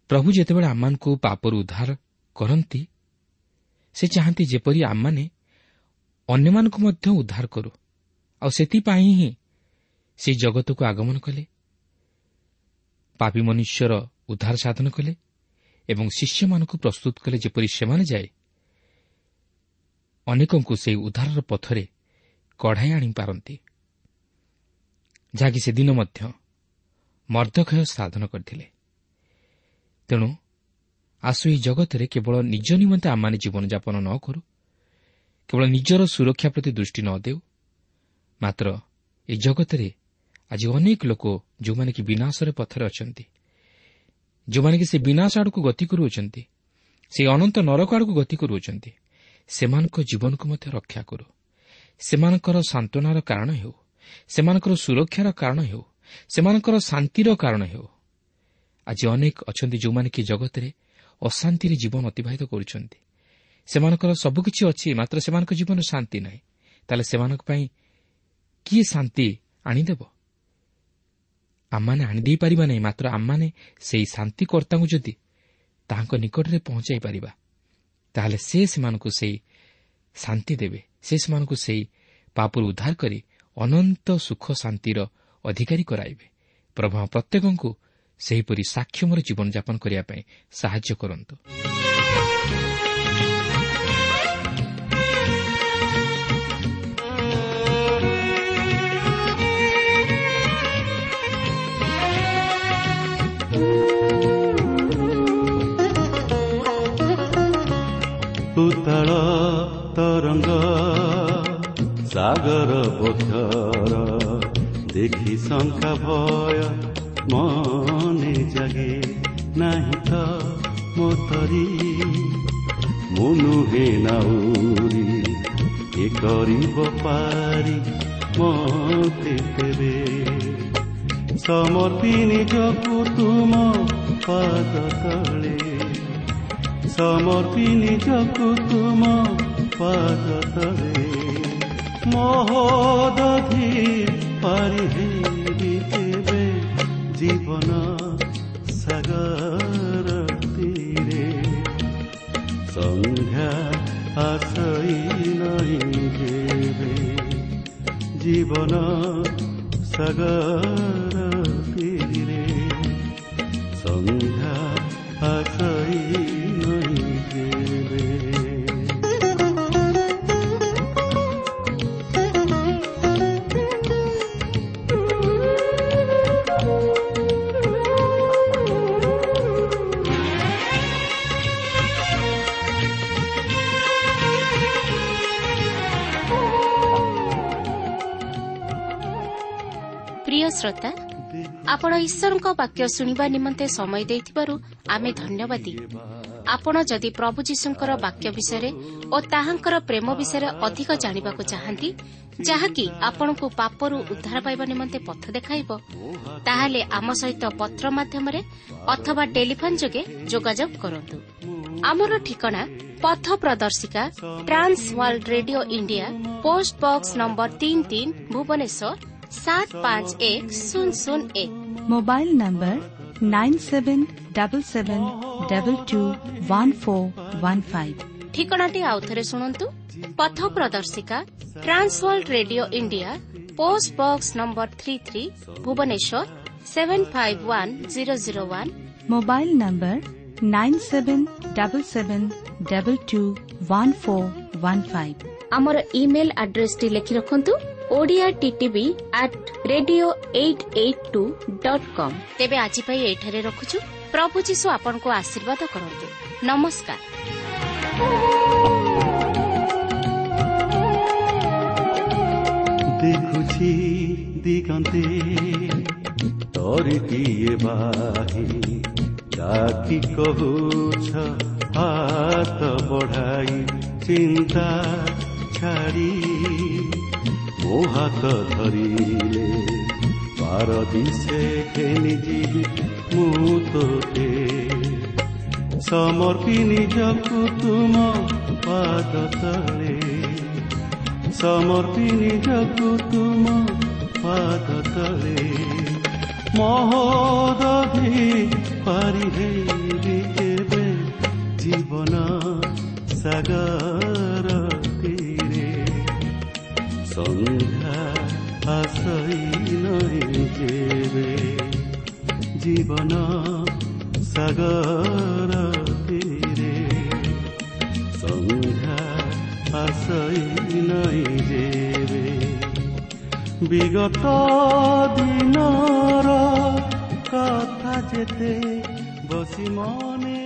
ପ୍ରଭୁ ଯେତେବେଳେ ଆମମାନଙ୍କୁ ପାପରୁ ଉଦ୍ଧାର କରନ୍ତି, ସେ ଚାହାନ୍ତି ଯେପରି ଆମମାନେ ଅନ୍ୟମାନଙ୍କୁ ମଧ୍ୟ ଉଦ୍ଧାର କରୁ। ଆଉ ସେଥିପାଇଁ ହିଁ ସେ ଜଗତକୁ ଆଗମନ କଲେ, ପାପୀ ମନୁଷ୍ୟର ଉଦ୍ଧାର ସାଧନ କଲେ ଏବଂ ଶିଷ୍ୟମାନଙ୍କୁ ପ୍ରସ୍ତୁତ କଲେ, ଯେପରି ସେମାନେ ଯାଇ ଅନେକଙ୍କୁ ସେହି ଉଦ୍ଧାରର ପଥରେ କଢ଼ାଇ ଆଣିପାରନ୍ତି, ଯାହାକି ସେଦିନ ମଧ୍ୟ ମର୍ଦ୍ଦଖୟ ସାଧନ କରିଥିଲେ। ତେଣୁ ଆସୁ ଏହି ଜଗତରେ କେବଳ ନିଜ ନିମନ୍ତେ ଆମମାନେ ଜୀବନଯାପନ ନ କରୁ, କେବଳ ନିଜର ସୁରକ୍ଷା ପ୍ରତି ଦୃଷ୍ଟି ନ ଦେଉ, ମାତ୍ର ଏ ଜଗତରେ ଆଜି ଅନେକ ଲୋକ ଯେଉଁମାନେ କି ବିନାଶର ପଥରେ ଅଛନ୍ତି, ଯେଉଁମାନେ କି ସେ ବିନାଶ ଆଡ଼କୁ ଗତି କରୁଅଛନ୍ତି, ସେ ଅନନ୍ତ ନରକ ଆଡ଼କୁ ଗତି କରୁଅଛନ୍ତି, ସେମାନଙ୍କ ଜୀବନକୁ ମଧ୍ୟ ରକ୍ଷା କରୁ। ସେମାନଙ୍କର ସାନ୍ତ୍ୱନାର କାରଣ ହେଉ, ସେମାନଙ୍କର ସୁରକ୍ଷାର କାରଣ ହେଉ, ସେମାନଙ୍କର ଶାନ୍ତିର କାରଣ ହେଉ। ଆଜି ଅନେକ ଅଛନ୍ତି ଯେଉଁମାନେ କି ଜଗତରେ ଅଶାନ୍ତିରେ ଜୀବନ ଅତିବାହିତ କରୁଛନ୍ତି। ସେମାନଙ୍କର ସବୁକିଛି ଅଛି, ମାତ୍ର ସେମାନଙ୍କ ଜୀବନରେ ଶାନ୍ତି ନାହିଁ। ତାହେଲେ ସେମାନଙ୍କ ପାଇଁ କିଏ ଶାନ୍ତି ଆଣିଦେବ? ଆମମାନେ ଆଣିଦେଇପାରିବା ନାହିଁ, ମାତ୍ର ଆମମାନେ ସେହି ଶାନ୍ତିକର୍ତ୍ତାଙ୍କୁ ଯଦି ତାହାଙ୍କ ନିକଟରେ ପହଞ୍ଚାଇ ପାରିବା, ତାହେଲେ ସେ ସେମାନଙ୍କୁ ସେହି ଶାନ୍ତି ଦେବେ, ସେ ସେମାନଙ୍କୁ ସେହି ପାପରୁ ଉଦ୍ଧାର କରି ଅନନ୍ତ ସୁଖ ଶାନ୍ତିର ଅଧିକାରୀ କରାଇବେ। ପ୍ରଭୁ ପ୍ରତ୍ୟେକଙ୍କୁ ସେହିପରି ସାକ୍ଷ୍ୟମର ଜୀବନଯାପନ କରିବା ପାଇଁ ସାହାଯ୍ୟ କରନ୍ତୁ। ଉତ୍ତଳ ତରଙ୍ଗ ସାଗର ବକ୍ଷର ଦେଖି ଶଙ୍କା ଭୟ ମନେ ଜାଗେ, ନାହିଁ ତ ମୋତରି ମୁଁ ନୁହେଁ ନାଉରି, ଏ କରିବ ପାରି ମତେ ତେବେ। ସମର୍ପି ନିଜକୁ ତୁମ ପାଦ ତଳେ, ସମର୍ପି ନିଜକୁ ତୁମ ପାଦ ତଳେ, ମହୋଦଧି ପାରି ହେବି ତେବେ ଜୀବନ ସାଗର ତୀରେ। ସନ୍ଧ୍ୟା ଆସଇ ନାହିଁ ଯେବେ ଜୀବନ ସାଗର ତୀରେ, ସନ୍ଧ୍ୟା ଆସଇ ନାହିଁ ଯେବେ। ପ୍ରିୟ ଶ୍ରୋତା, ଆପଣ ଈଶ୍ୱରଙ୍କ ବାକ୍ୟ ଶୁଣିବା ନିମନ୍ତେ ସମୟ ଦେଇଥିବାରୁ ଆମେ ଧନ୍ୟବାଦୀ। ଆପଣ ଯଦି ପ୍ରଭୁ ଯୀଶୁଙ୍କର ବାକ୍ୟ ବିଷୟରେ ଓ ତାହାଙ୍କର ପ୍ରେମ ବିଷୟରେ ଅଧିକ ଜାଣିବାକୁ ଚାହାନ୍ତି, ଯାହାକି ଆପଣଙ୍କୁ ପାପରୁ ଉଦ୍ଧାର ପାଇବା ନିମନ୍ତେ ପଥ ଦେଖାଇବ, ତାହେଲେ ଆମ ସହିତ ପତ୍ର ମାଧ୍ୟମରେ ଅଥବା ଟେଲିଫୋନ୍ ଯୋଗେ ଯୋଗାଯୋଗ କରନ୍ତୁ। ଆମର ଠିକଣା ପଥ ପ୍ରଦର୍ଶିକା, Trans World Radio India, post box number ତିନି ତିନି, ଭୁବନେଶ୍ୱର ସାତ ପାଞ୍ଚ ଏକ ଶୂନ ଶୂନ ଏକ। Mobile number nine seven double seven double two one four one five. ଠିକଣାଟି ଆଉଥରେ ଶୁଣନ୍ତୁ। ପଥ ପ୍ରଦର୍ଶିକା, Trans World Radio India, post box number three three, Bhubaneswar seven five one zero zero one. Mobile number nine seven double seven double two one four one five. ଆମର email ଆଡ୍ରେସଟି ଲେଖି ରଖନ୍ତୁ, Odia TTV at radio eight eight two dot com. ତେବେ ଆଜି ପାଇଁ ଏଇଠାରେ ରଖୁଛୁ। ପ୍ରଭୁ ଯୀଶୁ ଆପଣଙ୍କୁ ଆଶୀର୍ବାଦ କରନ୍ତୁ। ନମସ୍କାର। ଦେଖୁଛି ଦିଗନ୍ତେ ତରିଟିଏ ବାହି, ଡାକି କହୁଛ ହାତ ବଢ଼ାଇ, ଚିନ୍ତା ଛାଡ଼ି ମୋ ହାତ ଧରିଲେ ପାରଦିଶେ ଘେନି ଯିବି ମୁଁ ତୋତେ। ସମର୍ପି ନିଜକୁ ତୁମ ପାଦ ତଳେ, ସମର୍ପି ନିଜକୁ ତୁମ ପାଦ ତଳେ, ମହୋଦଧି ପାରି ହେବି କେବେ ଜୀବନ ସାଗର ତୀରେ। ସନ୍ଧ୍ୟା ଆସଇ ନଇଁ ଯେବେ ଜୀବନ ସାଗର ତୀରେ ସନ୍ଧ୍ୟା ଆସଇ ନଇଁ ଯେବେ ବିଗତ ଦିନର କଥା ଯେତେ ବସି ମନେ